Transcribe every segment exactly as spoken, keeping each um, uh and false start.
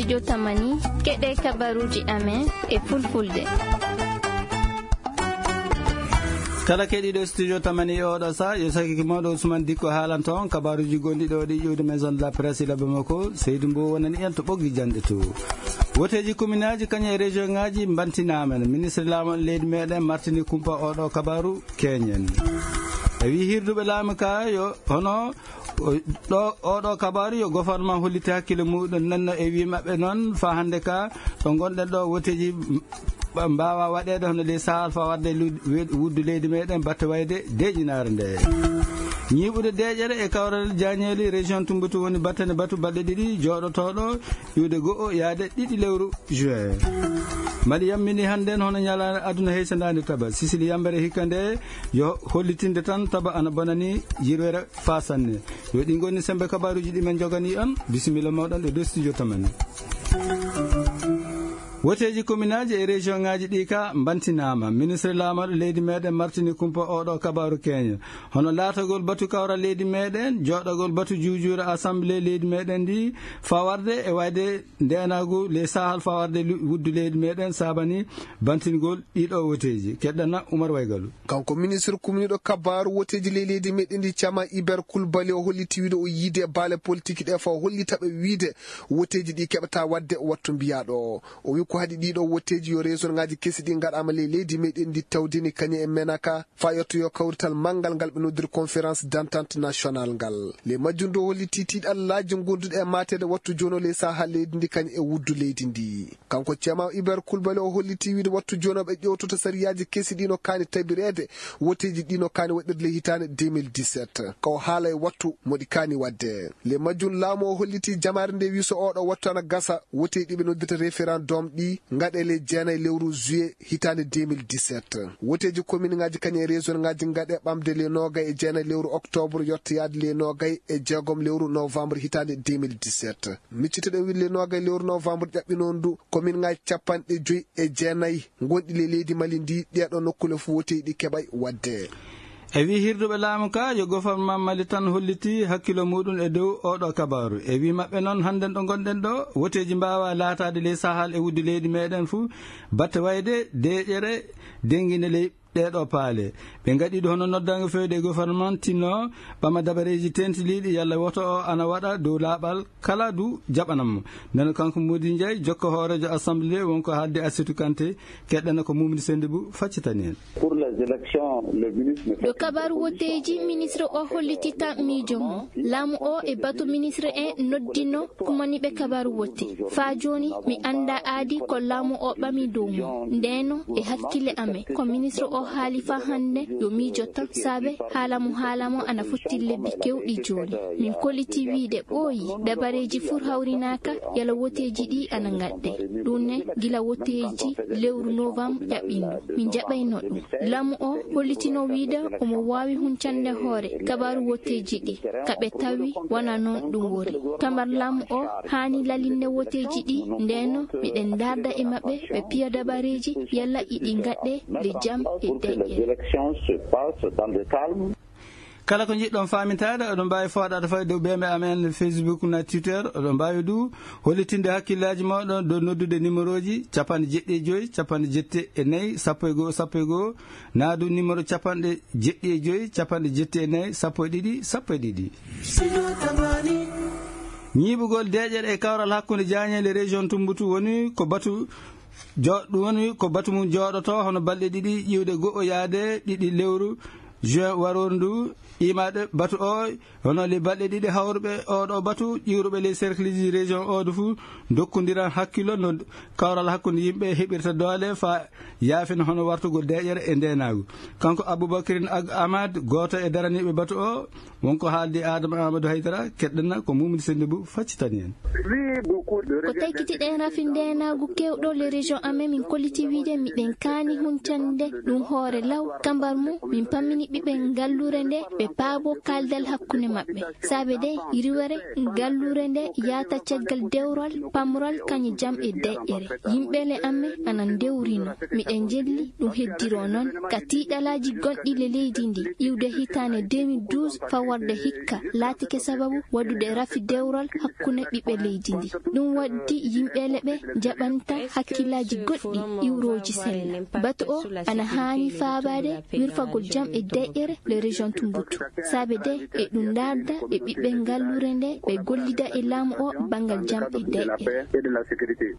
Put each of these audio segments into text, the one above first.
Yo tamani, keɗe kabaruuji amen e fulfulde. Kala keɗiiɗo studio tamani e oɗo sa, yo sakiki mawɗo Ousmane Dikko haalanta on kabaruuji gonɗi ɗo ɗi ƴuwde Maison de la Presse e labbe makko, Seydou Mbow wonani en to ɓoggi janɗe to. Woteeji kominaaji kañum e région ŋaaji mbantinaama. Ministre laamu leydi meɗen martini kumpa oɗo kabaru keñen. E wi hirduɓe laamu ka yo hono o, ɗo, oɗo kabaru yo gouvernement holliti hakkille muɗum nanno e wi maɓɓe noon fa hannde ka ɗo gonɗen ɗo woteeji mba-, mbawa waɗede hono ley sahal fa wadde lu-, we-, wuddu leydi meɗen batte wayde deeƴinaare nde. Ñiiɓude deeƴere e kawral jañeeli région Tumbatu woni battane batu balɗe ɗiɗi jooɗotoɗo iwde go'o yaade ɗiɗi lewru juin. Mali yammini hannden hono ñalaande aduna heysandaande taba. Sisili yambere hikka nde yo hollitinde tan taba ana bonani yirwere fa sanne. Yo ɗi ngoni sembe kabaruuji ɗi men jogani on. Bisimilla mawɗon e dow studio tamani. Woteeji kominaaji e région ŋaaji ɗi ka mbantinaama. Ministre laamaɗo leydi meɗen martini kumpa oɗo kabaru keño. Hono laatagol batu kawral leydi meɗen, jooɗagol batu juujuure assemblée leydi meɗen ndi, fawarde e wayde ndeenaagu ley sahal fawarde lu-, wuddu leydi meɗen saabani bantingol ɗiɗo woteeji. Keɗɗana Umar Waygalu. Kanko ministre kumniiɗo kabaaru woteeji ley leydi meɗen ndi cama Iber Kulbali o holliti wiide o yiide e baale politique ɗe fa o hollita ɓe wiide woteeji ɗi keɓata wadde wattu mbiyaaɗo o. O wi ko haɗi ɗiɗo woteeji yo région ŋaaji kesi ɗi ngaɗaama ley leydi meɗen ndi tawdini kañum e menaka fa yettoyo kawrital manngal ngal ɓe noddiri conférence d'entente nationale ngal. Ley majjum dow holli tiitiiɗi allaaji gonduɗi e maateede wattu jooni o ley sahaa leydi ndi kañum e wuddu leydi ndi. Kanko Ceerno Iber Kulbali o holliti wiide wattu jooni o ɓe ƴewtoto sariyaaji kesi ɗi no kaani tabireede, woteeji ɗi no kaani waɗirde ley hitaande deux mille dix-sept. Ka o haala e wattu mo ɗi kaani waɗde. Ley majjum laamu o holliti jamaare nde wi so oɗo wattu ana gasa, woteeji ɗi ɓe noddirta référendum ɗi ngaɗe ley jeenayi lewru juillet hitaande deux mille dix-sept. Woteeji kominŋaaji kañum e région ŋaaji ngaɗe ɓamde ley noogay e jeenayi lewru octobre yotta yaade ley noogay e jeegom lewru novembre hitaande deux mille dix-sept. Miccitoɗen wiide ley noogay lewru novembre ƴaɓɓinoondu, kominŋaaji capanɗe joyi e jeenayi gonɗi ley leydi Mali ndi, ɗeeɗo nokkule fof woteeji ɗi keɓay waɗde. E wi hirduɓe laamu ka, yo gouvernement Mali tan holliti hakkilo muɗum e dow oɗo kabaru. E wi maɓɓe noon, hannden ɗo gonɗen ɗo, woteeji mbaawa laataade ley sahal e wuddu leydi meɗen fuu, batte wayde deeƴere dennginde ley ɗeeɗo paale. Ɓe ngaɗi ɗo hono noddaango fewde e gouvernement tinno ɓama dabareeji tentiliiɗi yalla woto o ana waɗa dow laaɓal kala du jaɓanam mo. Nden kanko Modi Ndiaye, jokko hooreejo assemblée, wonko haalde Assitou Kanté, keɗɗana ko Mumni Sendibou faccitani en. Pour les élections, le ministre ne Ɗo kabaaru woteeji, ministre o hollitita miijo mum. Laamu o e batu ministre en noddino kumaniiɓe kabaaru wote. Faa jooni, mi anndaa aadi ko laamu o ɓami dow mum. Ndeeno, e hakkille amen, ko ministre o haali faa hannde yo miijo tan, saabe haala mo haala mo ana fotti lebbi keewɗi jooni. Min kolliti wiide ɓooyi, dabareeji fuu hawrinaaka, yalla woteeji ɗi ana ngaɗɗe. Ɗum ne, gila woteeji lewru novembre ƴaɓɓindu. Min jaɓayno ɗum. Laamu o hollitino wiide omo waawi huncande hoore kabaaru woteeji ɗi, ka ɓe tawi wona noon ɗum woni. Kamar laamu o haani lalinde woteeji ɗi, ndeeno miɗen ndaarda e maɓɓe, ɓe piya dabareeji, yalla iɗi ngaɗɗe le jam e deƴƴere. Kala ko njiɗɗon faamintaade, oɗon mbaawi fooɗaade fay dow beembe amen Facebook na Twitter. Oɗon mbaawi du hollitinde hakkillaaji mooɗon dow noddude numéroji capanɗe jeɗɗi e joyi, capanɗe jeɗɗi e nayi, sappo e goo, sappo e goo, naa du numéro capanɗe jeɗɗi e joyi, capanɗe jeɗɗi e nayi, sappo e ɗiɗi, sappo e ɗiɗi. Ñiiɓugol deeƴere e kawral hakkunde jaañeele région Tumbatu woni ko batu jo-, ɗum woni ko batu mum jooɗoto hono balɗe ɗiɗi ƴiwde go'o yaade ɗiɗi lewru juin warooru ndu. Imaade batu o hono le balɗe ɗiɗi hawruɓe oɗo batu ƴiwruɓe les cercleji région oɗo fuu dokkondiran hakkillo no kawral hakkunde yimɓe heɓirta doole fa yaafina hono wartugol deeƴere e ndeenaagu. Kanko Aboubacrine Ag Amad, gooto e daraniiɓe batu o, wonko haaldi Adama Amadou Haydara, keɗɗana ko Mumni Sendibou faccitani en. Ko taykitiɗen rafi ndeenaagu keewɗo le région amen, min kolliti wiide miɗen kaani huncande ɗum hoore law. Kambar mum, min pammini Ɓiɓɓe ngalluure nde ɓe paabo kaaldal hakkunde maɓɓe. Saabe de yirwere ngalluure nde yaata caggal dewral pamral kañe jam e deƴƴere. Yimɓe le amme ana ndewrino. Miɗen jelli ɗum heddiro noon ka tiiɗalaaji gonɗi le leydi ndi iwde hitaande deux mille douze fawarde hikka laatike sababu waɗude rafi dewral hakkunde ɓiɓɓe leydi ndi. Ɗum waddi yimɓe le ɓe jaɓanta hakkillaaji goɗɗi iwrooji sella. Batu o ana haani faabaade wirfagol jam e deƴƴere le région Tumbutu. Saabe de e ɗum ndaarda e ɓiɓɓe ngalluure nde ɓe gollida e laamu o banngal jam e deƴƴere.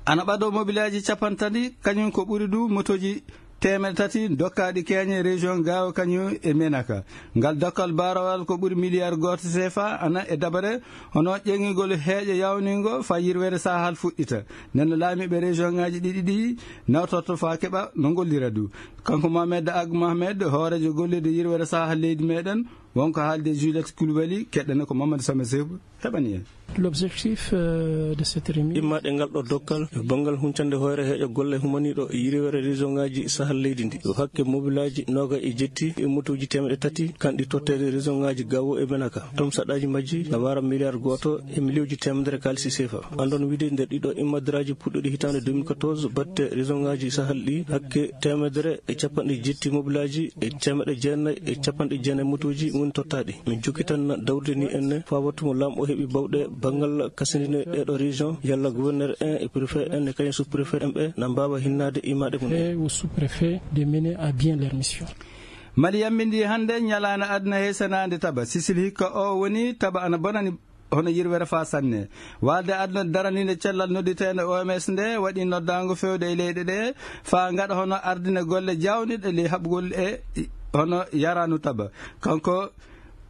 Ana ɓado mobilaaji capanɗe tati, kañum ko ɓuri du motooji teemeɗe tati dokkaaɗi keeñe région Gaawo kañum e Menaka. Ngal dokkal baarowal ko ɓuri miliyar gooto C F A ana e dabare hono ƴeŋigol heeƴo yawningo fa yirwere Sahal fuɗɗita. Nden no laamiiɓe région ŋaaji ɗiɗi ɗi nawtorto fa keɓa no ngollira du. Kanko Mohamed Ag Mohamed, hooreejo gollirde yirwere Sahal leydi meɗen, wonko haalde Juliette Koulibaly, keɗɗene ko Mamadou Sama Seku heɓani en. L'objectif, euh, de cette remise. Immaaɗe ngal ɗo dokkal e banngal huncande hoore heeƴo golle humaniiɗo e yirwere région ŋaaji Sahal leydi ndi. Yo hakke mobilaaji nooga e jetti e motooji teemeɗe tati kanɗi totteede région ŋaaji Gaawo e Menaka. Ɗum saɗaaji majji na waara miliyar gooto e miliyuuji teemedere kaalisi C F A. Anndon wiide nder ɗiɗo immadraaji puɗɗuɗi hitaande deux mille quatorze batte région ŋaaji Sahal ɗi hakke teemedere e capanɗe jetti mobilaaji e teemeɗe jeenayi e capanɗe jeenayi motooji woni tottaaɗi. Min jokkitan dawrude ni enne faa wattu mo laamɗo heɓi bawɗe banngal kasindine ɗeeɗo région, yalla gouverneur en e préfet en e kañum sous-préfet en ɓe na mbaawa hinnaade immaaɗe mum en. Et au sous-préfet de mener à bien leur mission. Mali yammindi hannde ñalaande aduna he senaande taba. Sisil hikka o woni taba ana bonani hono yirwere faa sanne. Waalde aduna daraninde cellal nodditeende O M S nde waɗi noddaango fewde e leyɗe ɗe faa ngaɗa hono ardine golle jawniɗe ley haɓugol e hono yaranu taba. Kanko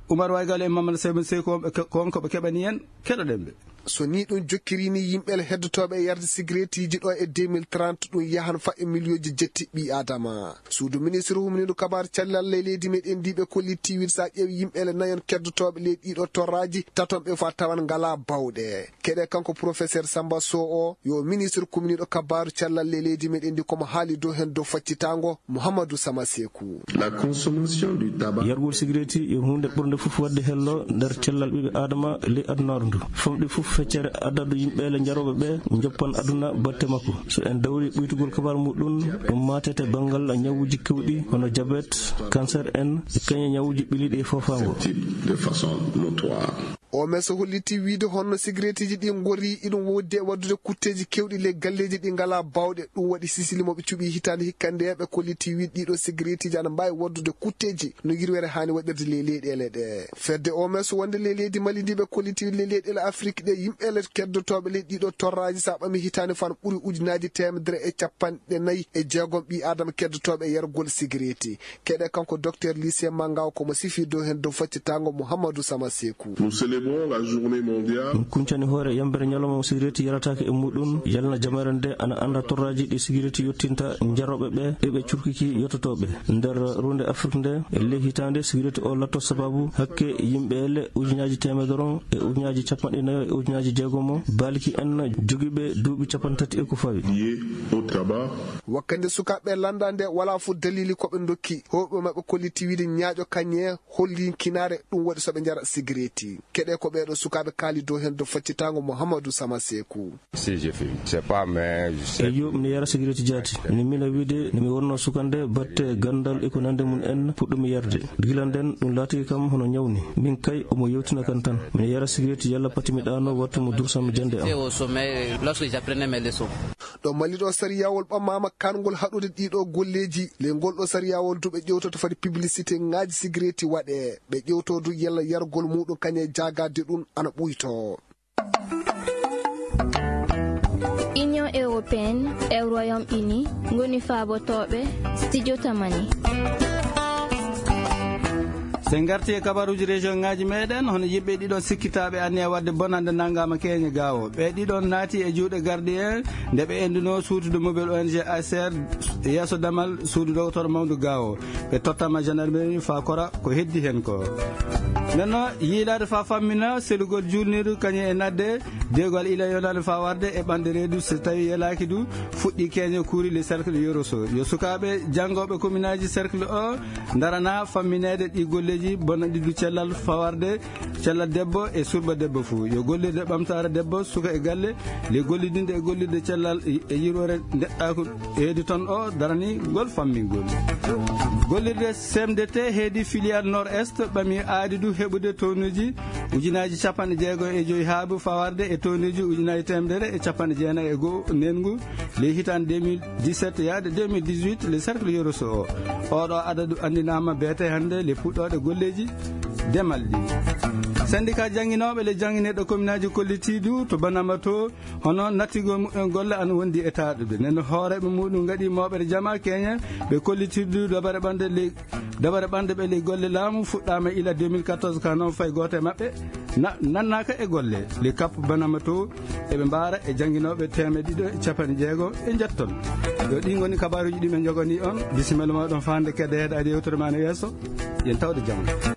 Umar Waygal e Mamadou Seyba Sey ko wonɓe ke-, ko wonko ɓe keɓani en, keɗoɗen ɓe. So ni ɗum jokkiri ni yimɓe heddotooɓe e yarde sigareetiji ɗo e deux mille trente ɗum yahan fa e miliyonji jetti ɓii Adama. Suudu ministre humniiɗo kabaaru cellal ley leydi meɗen ndi ɓe kollitti wiide so a ƴeewi yimɓe le nayon keddotooɓe ley ɗiɗo torraaji, taton ɓe fa tawan ngalaa bawɗe. Keɗe kanko professeur Samba Sow o, yo ministre kumniiɗo kabaaru cellal ley leydi meɗen ndi komo haali dow hen dow faccitaango Mouhamadou Sama Sekou. La consommation du tabac. Yargol sigareeti yo huunde ɓurnde fof waɗde hello nder cellal ɓiɓɓe Adama ley adunaaru ndu. Famɗi fof feccere addado yimɓe le njarooɓe ɓe njoppan aduna batte makko. So en dawri ɓuytugol kabaar muɗum, ɗum maatete banngal ñawuuji kewɗi hono jabet, cancer en, e kañe ñawuuji ɓiliiɗi e foofaango. Type de façon notoire. O M S holliti wiide honno sigareetiji ɗi ngorri iɗum woddi e waddude kutteeji kewɗi ley galleeji ɗi ngalaa bawɗe. Ɗum waɗi sisili mo ɓe cuɓi hitaande hikka nde ɓe kolliti wiide ɗiɗo sigareetiji ana mbaawi waddude kutteeji no yirwere haani waɗirde ley leyɗeele ɗe. Fedde O M S wonde ley leydi Mali ndi ɓe kolliti ley leyɗeele Afrik ɗe yimɓe le keddotooɓe ley ɗiɗo torraaji so a ɓami hitaande fan ɓuri ujunaaji teemedere e capanɗe nayi e jeegom ɓii Adama keddotooɓe e yargol sigareeti. Keɗe kanko docteur Lycée Mangaw komo sifi dow hen dow faccitaango Mouhamadou Sama Sekou. Nous célébrons la journée mondiale. Min kuncani hoore yambere ñalawma mo sigareeti yarataake e muɗum, yalna jamaare nde ana annda torraaji ɗi sigareeti yottinta njarooɓe ɓe e ɓe curkiki yottotooɓe. Nder ruunde Afrik nde, e ley hitaande sigareeti o latto sababu hakke yimɓe ele ujunaaji teemedere e ujunaaji capanɗe nayo e ujunaaji jeegomo, baalki en jogiiɓe duuɓi capanɗe tati e ko fawi. Lié au tabac. Wakkande sukaaɓe lannda nde walaa fof dalili ko ɓe ndokki. Hoɓe maɓɓe kolliti wiide ñaaƴo kañe hollinkinaare ɗum waɗi so ɓe njara sigareeti. Keɗe ko ɓeeɗo sukaaɓe kaali dow heen dow faccitaango Mouhamadou Sama Sekou. Si, je fume. C'est pas, mais je sais. Eyo, miɗo yara sigareeti jaati. Ni miɗo wiide, ni mi wonno sukande, batte ganndal e ko nande mum en, puɗɗumi yarde. Gila nden, ɗum laatiki kam hono ñawni. Min kay, omo yewtina kan tan. Miɗo yara sigareeti yalla pati mi ɗaano, wattu mo dursam jannde am. J'étais au sommet lorsque j'apprenais mes leçons. Ɗo Mali ɗo, sariyawol ɓammaama kaangol haɗude ɗiɗo golleeji. Ley ngol ɗo sariyawol du ɓe ƴewtoto fadi publicité ŋaaji sigareeti waɗe. Ɓe ƴewto du yalla yargol muɗum kañe jaagaade ɗum ana ɓuyto. Union européenne e Royaume-Uni ngoni faabotooɓe Studio Tamani. So en ngarti e kabaruuji région ŋaaji meɗen, hono yimɓe ɗiɗon sikkitaaɓe anniya waɗde bonannde nanngaama keeñe gaawo. Ɓe ɗiɗon naati e juuɗe gardien nde ɓe enduno suutude mobile O N G A C R yeeso damal suudu dogotoro mawndu gaawo. Ɓe tottama gendarmerie faa kora ko heddi heen ko. Nenno yiilaade faa fammina selugol juulniiru kañum e nadde deegal ila yonaande faa warde e ɓanɗe reedu so tawi yelaaki du fuɗɗi keñe kuuri le cercle yoroso yo sukaaɓe janngooɓe kominaaji cercle o ndarana fammineede ɗi golleeji bonanɗi du cellal faa warde cellal debbo e surba debbo fuu yo gollirde ɓamtaare debbo suka e galle le gollidinde e gollirde cellal e yirwere ndeɗɗaaku heedi toon o darani ngol fammingol gollirde cmdt heedi filial nord est ɓami aadi du heɓude townuuji ujunaaji capanɗe jeego e joyi haabu fawarde e townuuji ujunaaji temedere e capanɗe jeenayi e goo nenngu ley hitaande deux mille dix-sept yaade deux mille dix-huit le cercle yoroso o oɗo adadu anndinaama beete hannde le puɗɗooɗe golleeji demal ɗi syndicat jannginooɓe le janngineɗo kominaaji kollitiidu to banama to hono nattigol muɓɓen golle ana wondi e taaɗude nden hooreeɓe muɗum ngaɗi mooɓere jama keñe ɓe kollitiidu dabare ɓanɗe ley dabare ɓanɗe ɓe ley golle laamu fuɗɗaama ila deux mille quatorze ka noon fay gooto e maɓɓe na- nannaaka e golle ley kappu banama to eɓe mbaara e jannginooɓe teemeɗe ɗiɗo e capanɗe jeego e njetton yo ɗi ngoni kabaruuji ɗi men njoganii on bisimilla mooɗon faande kedde heɗaade yewtere ma no yeeso yen tawde jam